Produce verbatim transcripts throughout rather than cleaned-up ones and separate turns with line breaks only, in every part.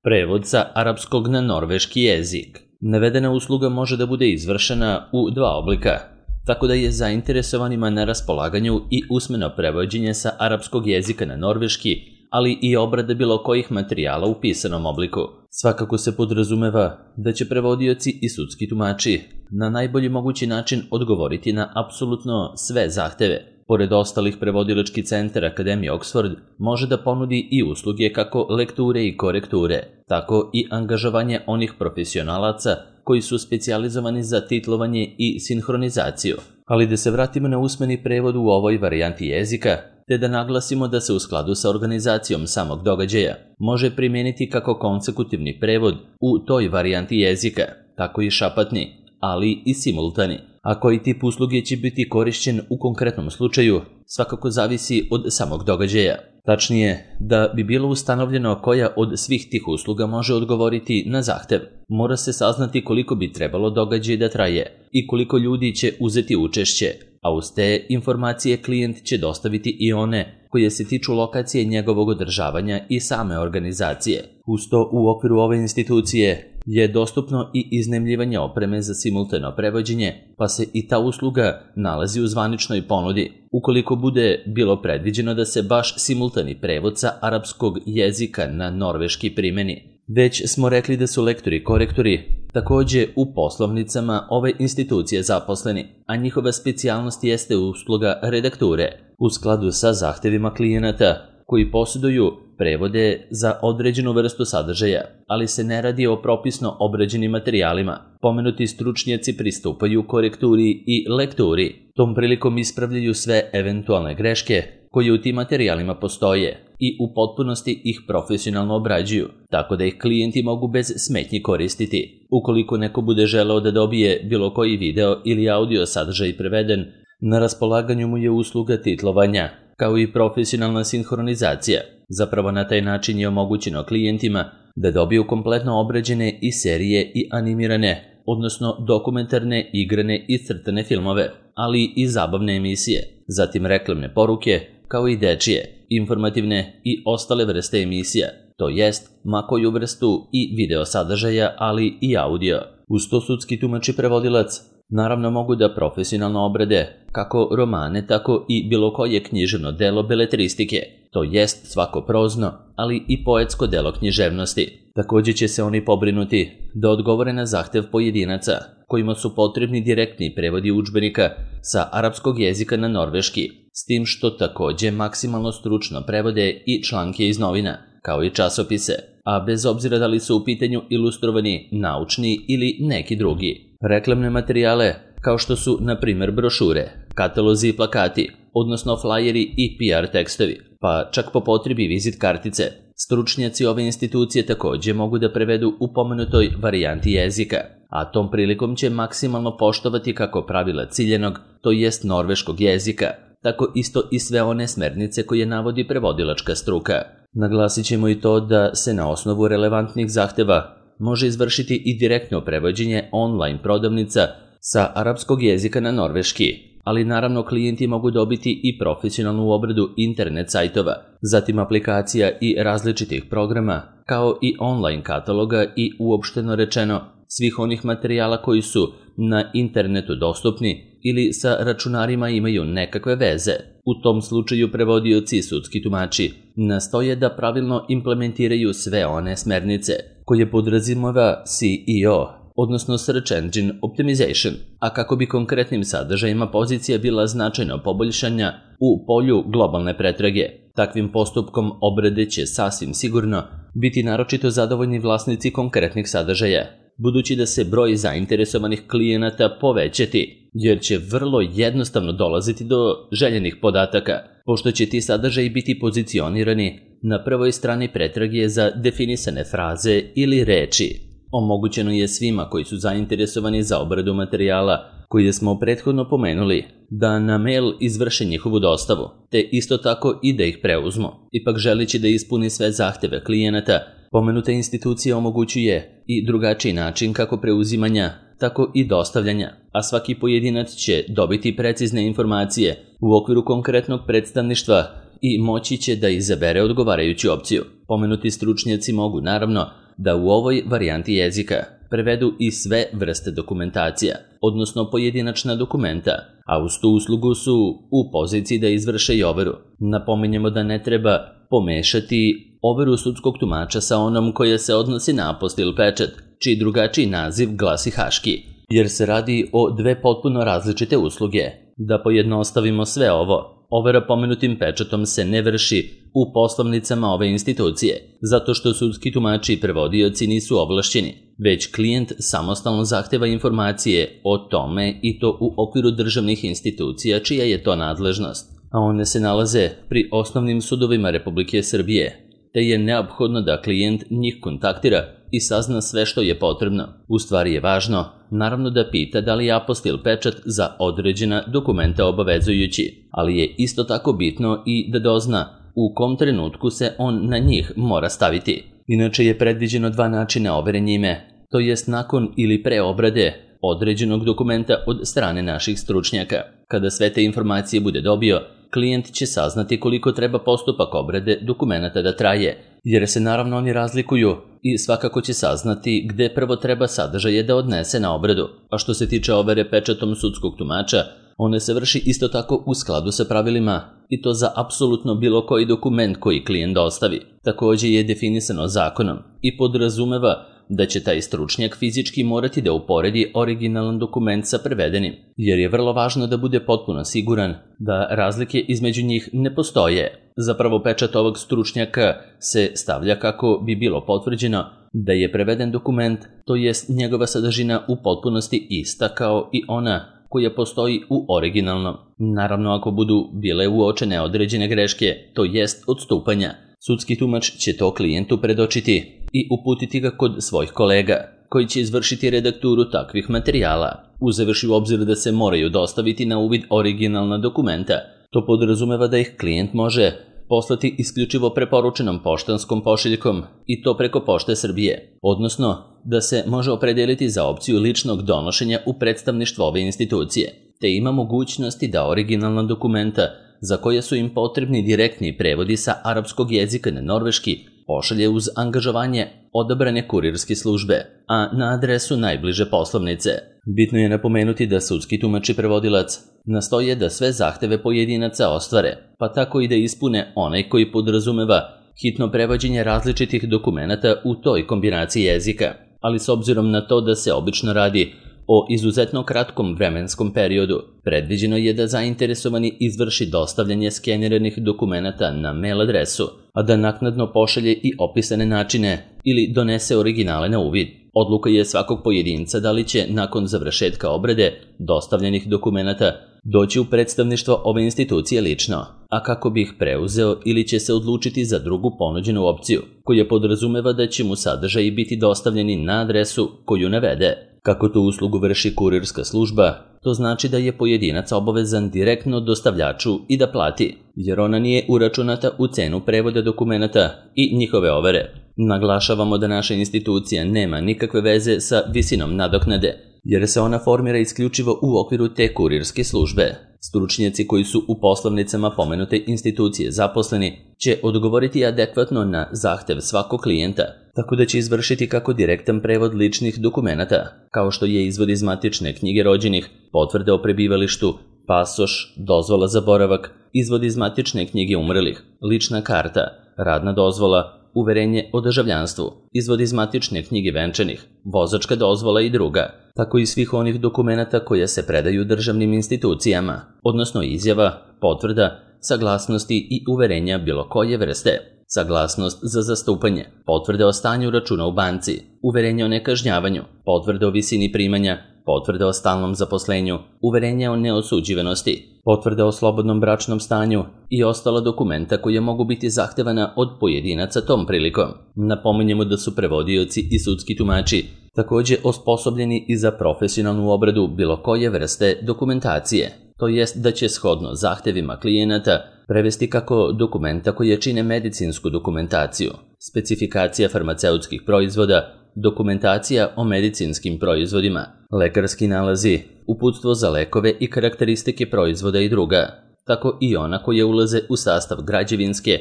Prevod sa arapskog na norveški jezik. Navedena usluga može da bude izvršena u dva oblika, tako da je zainteresovanima na raspolaganju i usmeno prevođenje sa arapskog jezika na norveški, ali i obrada bilo kojih materijala u pisanom obliku. Svakako se podrazumeva da će prevodioci i sudski tumači na najbolji mogući način odgovoriti na apsolutno sve zahteve. Pored ostalih, prevodilački centar Akademije Oxford može da ponudi i usluge kako lekture i korekture, tako i angažovanje onih profesionalaca koji su specijalizovani za titlovanje i sinhronizaciju. Ali da se vratimo na usmeni prevod u ovoj varijanti jezika, te da naglasimo da se u skladu sa organizacijom samog događaja može primijeniti kako konsekutivni prevod u toj varijanti jezika, tako i šapatni, ali i simultani. A koji tip usluge će biti korišćen u konkretnom slučaju, svakako zavisi od samog događaja. Tačnije, da bi bilo ustanovljeno koja od svih tih usluga može odgovoriti na zahtev, mora se saznati koliko bi trebalo događaj da traje i koliko ljudi će uzeti učešće, a uz te informacije klijent će dostaviti i one koje se tiču lokacije njegovog održavanja i same organizacije. Uz to, u okviru ove institucije je dostupno i iznajmljivanje opreme za simultano prevođenje, pa se i ta usluga nalazi u zvaničnoj ponudi, ukoliko bude bilo predviđeno da se baš simultani prevod sa arapskog jezika na norveški primeni. Već smo rekli da su lektori i korektori takođe u poslovnicama ove institucije zaposleni, a njihova specijalnost jeste usluga redakture u skladu sa zahtevima klijenata koji posjeduju prevode za određenu vrstu sadržaja, ali se ne radi o propisno obrađenim materijalima. Pomenuti stručnjaci pristupaju korekturi i lekturi. Tom prilikom ispravljaju sve eventualne greške koje u tim materijalima postoje i u potpunosti ih profesionalno obrađuju, tako da ih klijenti mogu bez smetnji koristiti. Ukoliko neko bude želeo da dobije bilo koji video ili audio sadržaj preveden, na raspolaganju mu je usluga titlovanja, kao i profesionalna sinhronizacija. Zapravo na taj način je omogućeno klijentima da dobiju kompletno obrađene i serije i animirane, odnosno dokumentarne, igrane i crtane filmove, ali i zabavne emisije, zatim reklamne poruke, kao i dečije, informativne i ostale vrste emisija, to jest ma koju vrstu i video sadržaja, ali i audio. Uz to, sudski tumač i prevodilac naravno mogu da profesionalno obrade kako romane, tako i bilo koje književno delo beletristike, to jest svako prozno, ali i poetsko delo književnosti. Takođe će se oni pobrinuti da odgovore na zahtev pojedinaca kojima su potrebni direktni prevodi udžbenika sa arapskog jezika na norveški, s tim što takođe maksimalno stručno prevode i članke iz novina, kao i časopise, a bez obzira da li su u pitanju ilustrovani, naučni ili neki drugi. Reklamne materijale, kao što su, na primjer, brošure, katalozi i plakati, odnosno flajeri i P R tekstovi, pa čak po potrebi vizit kartice. Stručnjaci ove institucije takođe mogu da prevedu u pomenutoj varijanti jezika, a tom prilikom će maksimalno poštovati kako pravila ciljenog, to jest norveškog jezika, tako isto i sve one smernice koje navodi prevodilačka struka. Naglasit ćemo i to da se na osnovu relevantnih zahteva može izvršiti i direktno prevođenje online prodavnica sa arapskog jezika na norveški, ali naravno klijenti mogu dobiti i profesionalnu obradu internet sajtova, zatim aplikacija i različitih programa, kao i online kataloga i uopšteno rečeno svih onih materijala koji su na internetu dostupni ili sa računarima imaju nekakve veze. U tom slučaju prevodioci i sudski tumači nastoje da pravilno implementiraju sve one smernice koje podrazumeva S E O, odnosno Search Engine Optimization, a kako bi konkretnim sadržajima pozicija bila značajno poboljšanja u polju globalne pretrage. Takvim postupkom obrade će sasvim sigurno biti naročito zadovoljni vlasnici konkretnih sadržaja, budući da se broj zainteresovanih klijenata povećati, jer će vrlo jednostavno dolaziti do željenih podataka, pošto će ti sadržaji biti pozicionirani na prvoj strani pretrage za definisane fraze ili reči. Omogućeno je svima koji su zainteresovani za obradu materijala, koje smo prethodno pomenuli, da na mail izvrše njihovu dostavu, te isto tako i da ih preuzmu. Ipak, želeći da ispuni sve zahteve klijenata, pomenuta institucija omogućuje i drugačiji način kako preuzimanja, tako i dostavljanja, a svaki pojedinac će dobiti precizne informacije u okviru konkretnog predstavništva i moći će da izabere odgovarajuću opciju. Pomenuti stručnjaci mogu, naravno, da u ovoj varijanti jezika prevedu i sve vrste dokumentacija, odnosno pojedinačna dokumenta, a uz tu uslugu su u poziciji da izvrše i overu. Napominjemo da ne treba pomešati overu sudskog tumača sa onom koja se odnosi na apostil pečat, čiji drugačiji naziv glasi haški, jer se radi o dve potpuno različite usluge. Da pojednostavimo sve ovo, overa pomenutim pečatom se ne vrši u poslovnicama ove institucije, zato što sudski tumači i prevodioci nisu ovlašćeni, već klijent samostalno zahteva informacije o tome i to u okviru državnih institucija čija je to nadležnost, a one se nalaze pri osnovnim sudovima Republike Srbije, te je neophodno da klijent njih kontaktira i sazna sve što je potrebno. U stvari je važno, naravno, da pita da li je apostil pečat za određena dokumenta obavezujući, ali je isto tako bitno i da dozna u kom trenutku se on na njih mora staviti. Inače je predviđeno dva načina overe njime, to jest nakon ili pre obrade određenog dokumenta od strane naših stručnjaka. Kada sve te informacije bude dobio, klijent će saznati koliko treba postupak obrade dokumenata da traje, jer se naravno oni razlikuju i svakako će saznati gde prvo treba sadržaje da odnese na obradu. A što se tiče overe pečatom sudskog tumača, one se vrši isto tako u skladu sa pravilima i to za apsolutno bilo koji dokument koji klijent dostavi. Takođe je definisano zakonom i podrazumeva da će taj stručnjak fizički morati da uporedi originalan dokument sa prevedenim, jer je vrlo važno da bude potpuno siguran da razlike između njih ne postoje. Zapravo pečat ovog stručnjaka se stavlja kako bi bilo potvrđeno da je preveden dokument, to jest njegova sadržina u potpunosti ista kao i ona koja postoji u originalnom. Naravno, ako budu bile uočene određene greške, to jest odstupanja, sudski tumač će to klijentu predočiti i uputiti ga kod svojih kolega, koji će izvršiti redakturu takvih materijala, uzevši u obzir da se moraju dostaviti na uvid originalna dokumenta. To podrazumeva da ih klijent može poslati isključivo preporučenom poštanskom pošiljkom i to preko Pošte Srbije, odnosno da se može opredeliti za opciju ličnog donošenja u predstavništvo ove institucije, te ima mogućnosti da originalna dokumenta za koje su im potrebni direktni prevodi sa arapskog jezika na norveški pošalje uz angažovanje odabrane kurirske službe, a na adresu najbliže poslovnice. Bitno je napomenuti da sudski tumač i prevodilac nastoje da sve zahteve pojedinaca ostvare, pa tako i da ispune onaj koji podrazumeva hitno prevođenje različitih dokumenata u toj kombinaciji jezika, ali s obzirom na to da se obično radi o izuzetno kratkom vremenskom periodu, predviđeno je da zainteresovani izvrši dostavljanje skeniranih dokumenata na mail adresu, a da naknadno pošalje i opisane načine ili donese originale na uvid. Odluka je svakog pojedinca da li će nakon završetka obrade dostavljenih dokumenata doći u predstavništvo ove institucije lično, a kako bi ih preuzeo ili će se odlučiti za drugu ponuđenu opciju, koja podrazumeva da će mu sadržaji biti dostavljeni na adresu koju navede. Kako tu uslugu vrši kurirska služba, to znači da je pojedinac obavezan direktno dostavljaču i da plati, jer ona nije uračunata u cenu prevoda dokumenata i njihove overe. Naglašavamo da naša institucija nema nikakve veze sa visinom nadoknade, jer se ona formira isključivo u okviru te kurirske službe. Stručnjaci koji su u poslovnicama pomenute institucije zaposleni će odgovoriti adekvatno na zahtev svakog klijenta, tako da će izvršiti kako direktan prevod ličnih dokumenata, kao što je izvod iz matične knjige rođenih, potvrda o prebivalištu, pasoš, dozvola za boravak, izvod iz matične knjige umrlih, lična karta, radna dozvola, uverenje o državljanstvu, izvod iz matične knjige venčanih, vozačka dozvola i druga, tako i svih onih dokumenata koje se predaju državnim institucijama, odnosno izjava, potvrda, saglasnosti i uverenja bilo koje vrste, saglasnost za zastupanje, potvrde o stanju računa u banci, uverenje o nekažnjavanju, potvrde o visini primanja, potvrde o stalnom zaposlenju, uverenje o neosuđivanosti, potvrde o slobodnom bračnom stanju i ostala dokumenta koje mogu biti zahtevana od pojedinaca tom prilikom. Napominjemo da su prevodioci i sudski tumači takođe osposobljeni i za profesionalnu obradu bilo koje vrste dokumentacije, to jest da će shodno zahtevima klijenata prevesti kako dokumenta koje čine medicinsku dokumentaciju, specifikacija farmaceutskih proizvoda, dokumentacija o medicinskim proizvodima, lekarski nalazi, uputstvo za lekove i karakteristike proizvoda i druga, tako i ona koje ulaze u sastav građevinske,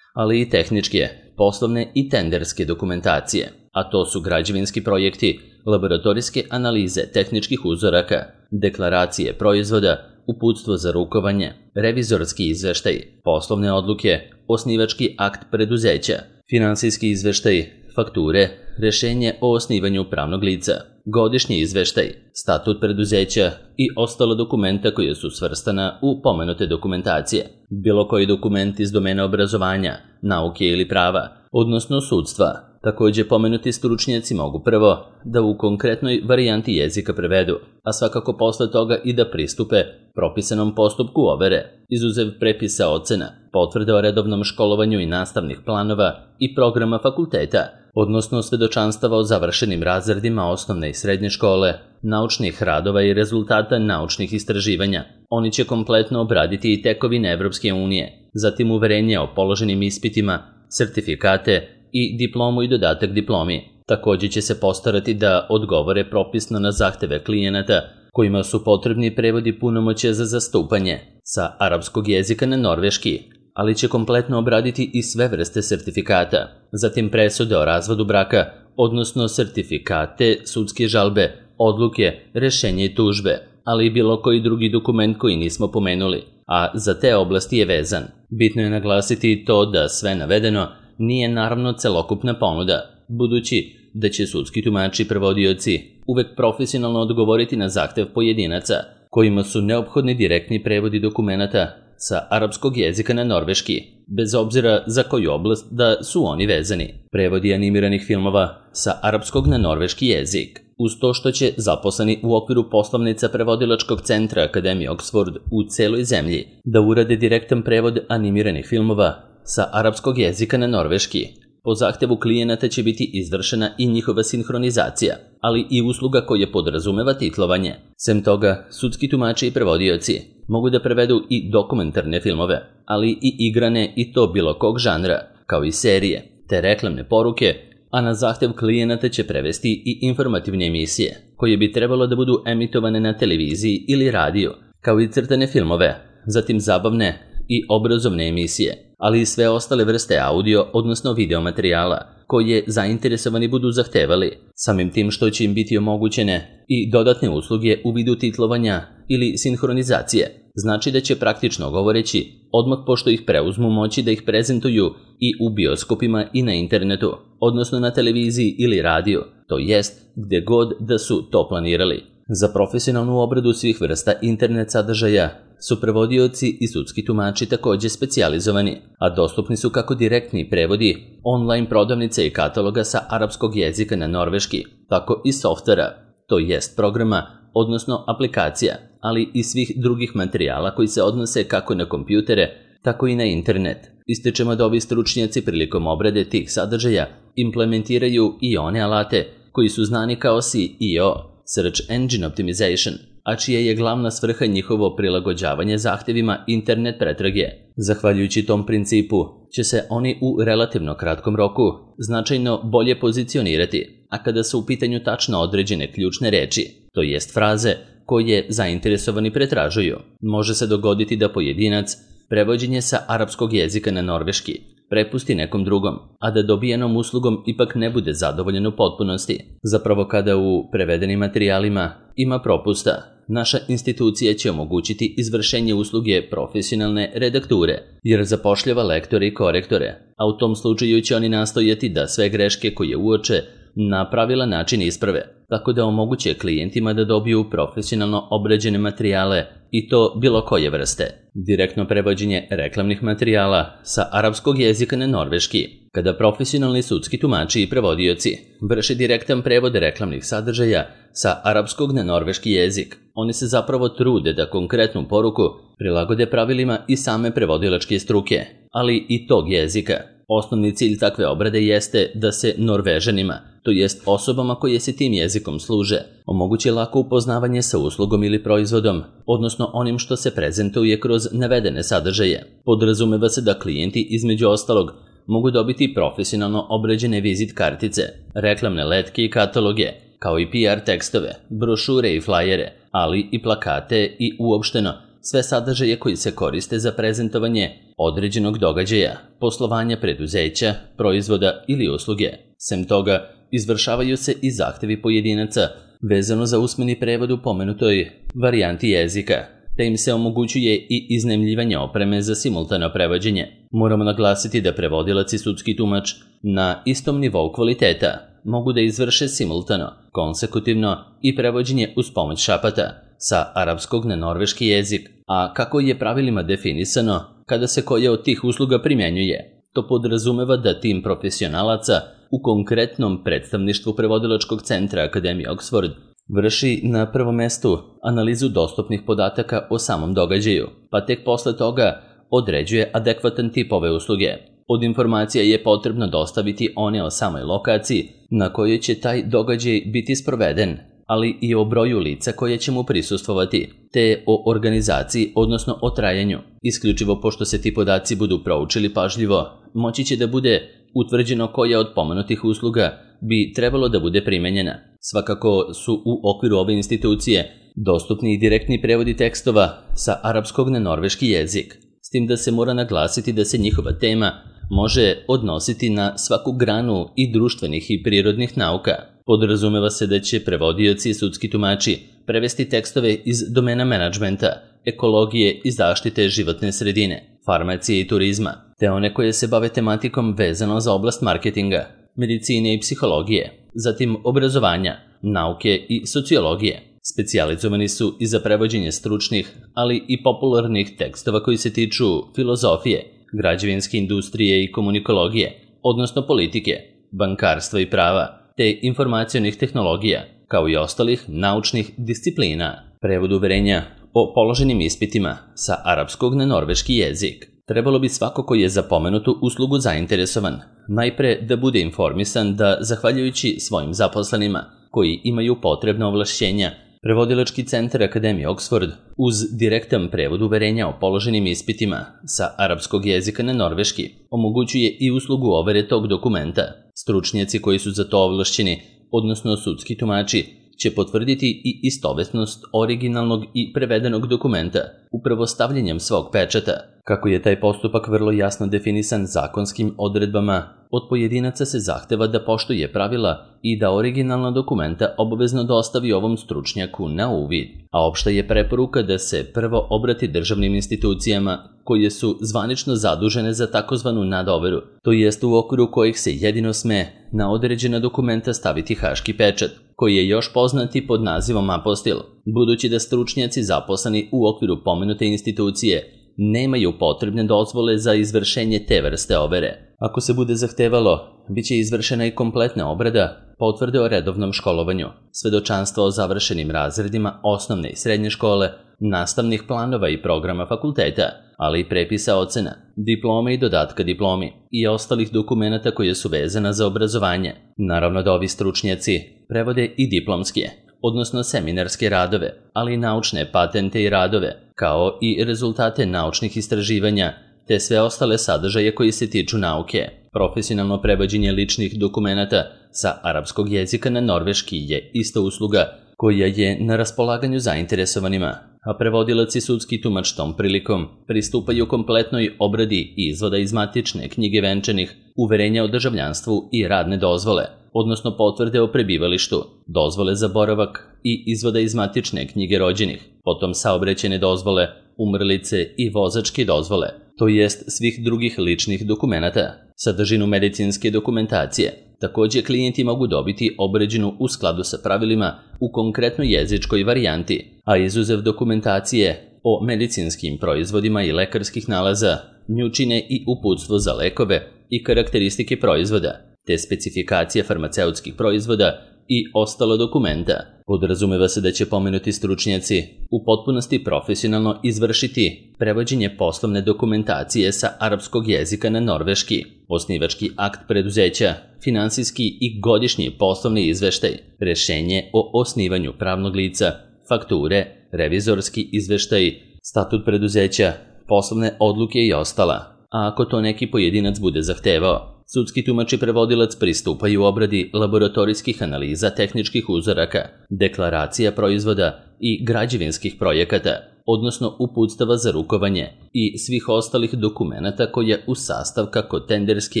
ali i tehničke, poslovne i tenderske dokumentacije, a to su građevinski projekti, laboratorijske analize tehničkih uzoraka, deklaracije proizvoda, uputstvo za rukovanje, revizorski izveštaj, poslovne odluke, osnivački akt preduzeća, finansijski izveštaj, fakture, rešenje o osnivanju pravnog lica, godišnji izveštaj, statut preduzeća i ostala dokumenta koja su svrstana u pomenute dokumentacije, bilo koji dokument iz domena obrazovanja, nauke ili prava, odnosno sudstva. Takođe, pomenuti stručnjaci mogu prvo da u konkretnoj varijanti jezika prevedu, a svakako posle toga i da pristupe propisanom postupku overe, izuzev prepisa ocena, potvrde o redovnom školovanju i nastavnih planova i programa fakulteta, odnosno svedočanstava o završenim razredima osnovne i srednje škole, naučnih radova i rezultata naučnih istraživanja. Oni će kompletno obraditi i tekovine Evropske unije, zatim uverenje o položenim ispitima, sertifikate i diplomu i dodatak diplomi. Takođe će se postarati da odgovore propisno na zahteve klijenata kojima su potrebni prevodi punomoćja za zastupanje sa arapskog jezika na norveški, ali će kompletno obraditi i sve vrste sertifikata, zatim presude o razvodu braka, odnosno sertifikate, sudske žalbe, odluke, rešenje i tužbe, ali i bilo koji drugi dokument koji nismo pomenuli, a za te oblasti je vezan. Bitno je naglasiti to da sve navedeno nije naravno celokupna ponuda, budući da će sudski tumači i prevodioci uvek profesionalno odgovoriti na zahtev pojedinaca, kojima su neophodni direktni prevodi dokumenata sa arapskog jezika na norveški, bez obzira za koju oblast da su oni vezani. Prevodi animiranih filmova sa arapskog na norveški jezik, uz to što će zaposleni u okviru poslovnica prevodilačkog centra Akademije Oxford u celoj zemlji da urade direktan prevod animiranih filmova sa arapskog jezika na norveški. Po zahtevu klijenata će biti izvršena i njihova sinhronizacija, ali i usluga koja podrazumeva titlovanje. Sem toga, sudski tumači i prevodioci mogu da prevedu i dokumentarne filmove, ali i igrane i to bilo kog žanra, kao i serije, te reklamne poruke, a na zahtev klijenata će prevesti i informativne emisije, koje bi trebalo da budu emitovane na televiziji ili radiju, kao i crtane filmove, zatim zabavne i obrazovne emisije, ali i sve ostale vrste audio, odnosno video materijala, koje zainteresovani budu zahtevali, samim tim što će im biti omogućene i dodatne usluge u vidu titlovanja ili sinhronizacije. Znači da će praktično govoreći, odmah pošto ih preuzmu moći da ih prezentuju i u bioskopima i na internetu, odnosno na televiziji ili radiju, to jest gde god da su to planirali. Za profesionalnu obradu svih vrsta internet sadržaja su prevodioci i sudski tumači takođe specijalizovani, a dostupni su kako direktni prevodi online prodavnice i kataloga sa arapskog jezika na norveški, tako i softvera, to jest programa, odnosno aplikacija, ali i svih drugih materijala koji se odnose kako na kompjutere, tako i na internet. Ističemo da ovi stručnjaci prilikom obrade tih sadržaja implementiraju i one alate koji su znani kao S E O, Search Engine Optimization, a čija je glavna svrha njihovo prilagođavanje zahtevima internet pretrage. Zahvaljujući tom principu će se oni u relativno kratkom roku značajno bolje pozicionirati, a kada su u pitanju tačno određene ključne reči, to jest fraze koje zainteresovani pretražuju, može se dogoditi da pojedinac prevođenje sa arapskog jezika na norveški prepusti nekom drugom, a da dobijenom uslugom ipak ne bude zadovoljen u potpunosti. Zapravo kada u prevedenim materijalima ima propusta, naša institucija će omogućiti izvršenje usluge profesionalne redakture, jer zapošljava lektore i korektore, a u tom slučaju će oni nastojati da sve greške koje uoče na pravilan način isprave, tako da omoguće klijentima da dobiju profesionalno obrađene materijale i to bilo koje vrste. Direktno prevođenje reklamnih materijala sa arapskog jezika na norveški. Kada profesionalni sudski tumači i prevodioci vrše direktan prevod reklamnih sadržaja sa arapskog na norveški jezik, oni se zapravo trude da konkretnu poruku prilagode pravilima i same prevodilačke struke, ali i tog jezika. Osnovni cilj takve obrade jeste da se Norvežanima, to jest osobama koje se tim jezikom služe, omogući lako upoznavanje sa uslugom ili proizvodom, odnosno onim što se prezentuje kroz navedene sadržaje. Podrazumeva se da klijenti između ostalog mogu dobiti profesionalno obrađene vizit kartice, reklamne letke i kataloge, kao i P R tekstove, brošure i flajere, ali i plakate i uopšteno sve sadržaje koji se koriste za prezentovanje određenog događaja, poslovanja preduzeća, proizvoda ili usluge. Sem toga, izvršavaju se i zahtevi pojedinaca vezano za usmeni prevod u pomenutoj varijanti jezika, te im se omogućuje i iznajmljivanje opreme za simultano prevođenje. Moramo naglasiti da prevodilac i sudski tumač na istom nivou kvaliteta mogu da izvrše simultano, konsekutivno i prevođenje uz pomoć šapata sa arapskog na norveški jezik, a kako je pravilima definisano kada se koja od tih usluga primjenjuje. To podrazumeva da tim profesionalaca u konkretnom predstavništvu prevodilačkog centra Akademije Oxford vrši na prvom mestu analizu dostupnih podataka o samom događaju, pa tek posle toga određuje adekvatan tip ove usluge. Od informacija je potrebno dostaviti one o samoj lokaciji na kojoj će taj događaj biti sproveden, ali i o broju lica koje će mu prisustvovati, te o organizaciji, odnosno o trajanju. Isključivo pošto se ti podaci budu proučili pažljivo, moći će da bude utvrđeno koja od pomenutih usluga bi trebalo da bude primenjena. Svakako su u okviru ove institucije dostupni i direktni prevodi tekstova sa arapskog na norveški jezik, s tim da se mora naglasiti da se njihova tema može odnositi na svaku granu i društvenih i prirodnih nauka. Podrazumeva se da će prevodioci i sudski tumači prevesti tekstove iz domena menadžmenta, ekologije i zaštite životne sredine, farmacije i turizma, te one koje se bave tematikom vezano za oblast marketinga, medicine i psihologije, zatim obrazovanja, nauke i sociologije. Specijalizovani su i za prevođenje stručnih, ali i popularnih tekstova koji se tiču filozofije, građevinske industrije i komunikologije, odnosno politike, bankarstva i prava, te informacionih tehnologija, kao i ostalih naučnih disciplina. Prevod uverenja o položenim ispitima sa arapskog na norveški jezik. Trebalo bi svako koji je za pomenutu uslugu zainteresovan najpre da bude informisan da, zahvaljujući svojim zaposlenima koji imaju potrebna ovlašćenja, Prevodilački centar Akademije Oxford uz direktan prevod uverenja o položenim ispitima sa arapskog jezika na norveški omogućuje i uslugu overe tog dokumenta. Stručnjaci koji su za to ovlašćeni, odnosno sudski tumači, će potvrditi i istovetnost originalnog i prevedenog dokumenta upravo stavljanjem svog pečata. Kako je taj postupak vrlo jasno definisan zakonskim odredbama, od pojedinaca se zahteva da poštuje pravila i da originalna dokumenta obavezno dostavi ovom stručnjaku na uvid. A opšta je preporuka da se prvo obrati državnim institucijama koje su zvanično zadužene za takozvanu nadoveru, to jest u okviru kojih se jedino sme na određena dokumenta staviti haški pečat, koji je još poznati pod nazivom apostil, budući da stručnjaci zaposleni u okviru pomenute institucije nemaju potrebne dozvole za izvršenje te vrste overe. Ako se bude zahtevalo, bit će izvršena i kompletna obrada potvrde o redovnom školovanju, svedočanstva o završenim razredima osnovne i srednje škole, nastavnih planova i programa fakulteta, ali i prepisa ocena, diplome i dodatka diplomi i ostalih dokumenata koje su vezana za obrazovanje. Naravno da ovi stručnjaci prevode i diplomske, odnosno seminarske radove, ali i naučne patente i radove, kao i rezultate naučnih istraživanja, te sve ostale sadržaje koji se tiču nauke. Profesionalno prevođenje ličnih dokumenata sa arapskog jezika na norveški je ista usluga koja je na raspolaganju zainteresovanima, a prevodilac i sudski tumač tom prilikom pristupaju kompletnoj obradi izvoda iz matične knjige venčanih, uverenja o državljanstvu i radne dozvole, odnosno potvrde o prebivalištu, dozvole za boravak i izvoda iz matične knjige rođenih, potom saobraćajne dozvole, umrlice i vozačke dozvole, to jest svih drugih ličnih dokumenata, sadržinu medicinske dokumentacije. Takođe, klijenti mogu dobiti obrađenu u skladu sa pravilima u konkretnoj jezičkoj varijanti, a izuzev dokumentacije o medicinskim proizvodima i lekarskih nalaza, nju čine i uputstvo za lekove i karakteristike proizvoda, te specifikacije farmaceutskih proizvoda i ostalo dokumenta. Podrazumeva se da će pomenuti stručnjaci u potpunosti profesionalno izvršiti prevođenje poslovne dokumentacije sa arapskog jezika na norveški, osnivački akt preduzeća, finansijski i godišnji poslovni izveštaj, rešenje o osnivanju pravnog lica, fakture, revizorski izveštaj, statut preduzeća, poslovne odluke i ostala. A ako to neki pojedinac bude zahtevao, sudski tumač i prevodilac pristupaju obradi laboratorijskih analiza tehničkih uzoraka, deklaracija proizvoda i građevinskih projekata, odnosno uputstava za rukovanje i svih ostalih dokumenata koje u sastav kako tenderske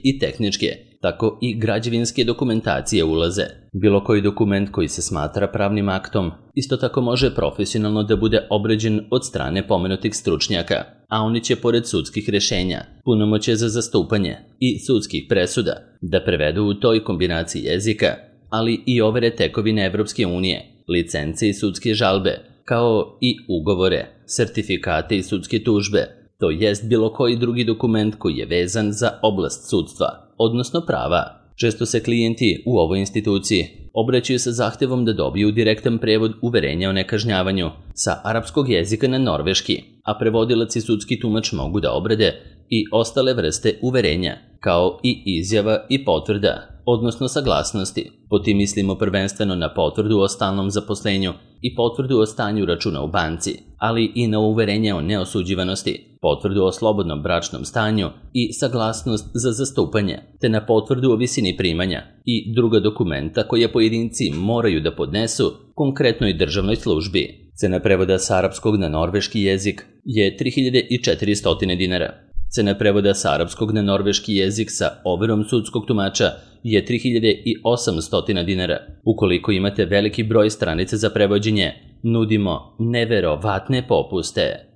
i tehničke, tako i građevinske dokumentacije ulaze. Bilo koji dokument koji se smatra pravnim aktom isto tako može profesionalno da bude obrađen od strane pomenutih stručnjaka, a oni će pored sudskih rešenja, punomoćje za zastupanje i sudskih presuda da prevedu u toj kombinaciji jezika, ali i overe tekovine Evropske unije, licence i sudske žalbe, kao i ugovore, sertifikate i sudske tužbe, to jest bilo koji drugi dokument koji je vezan za oblast sudstva, odnosno prava. Često se klijenti u ovoj instituciji obraćaju sa zahtevom da dobiju direktan prevod uverenja o nekažnjavanju sa arapskog jezika na norveški, a prevodilac i sudski tumač mogu da obrade i ostale vrste uverenja, kao i izjava i potvrda, odnosno saglasnosti. Po tim mislimo prvenstveno na potvrdu o stalnom zaposlenju i potvrdu o stanju računa u banci, ali i na uverenje o neosuđivanosti, potvrdu o slobodnom bračnom stanju i saglasnost za zastupanje, te na potvrdu o visini primanja i druga dokumenta koje pojedinci moraju da podnesu konkretnoj državnoj službi. Cena prevoda sa arapskog na norveški jezik je tri hiljade četiristo dinara. Cena prevoda sa arapskog na norveški jezik sa overom sudskog tumača je tri hiljade osamsto dinara. Ukoliko imate veliki broj stranica za prevođenje, nudimo neverovatne popuste.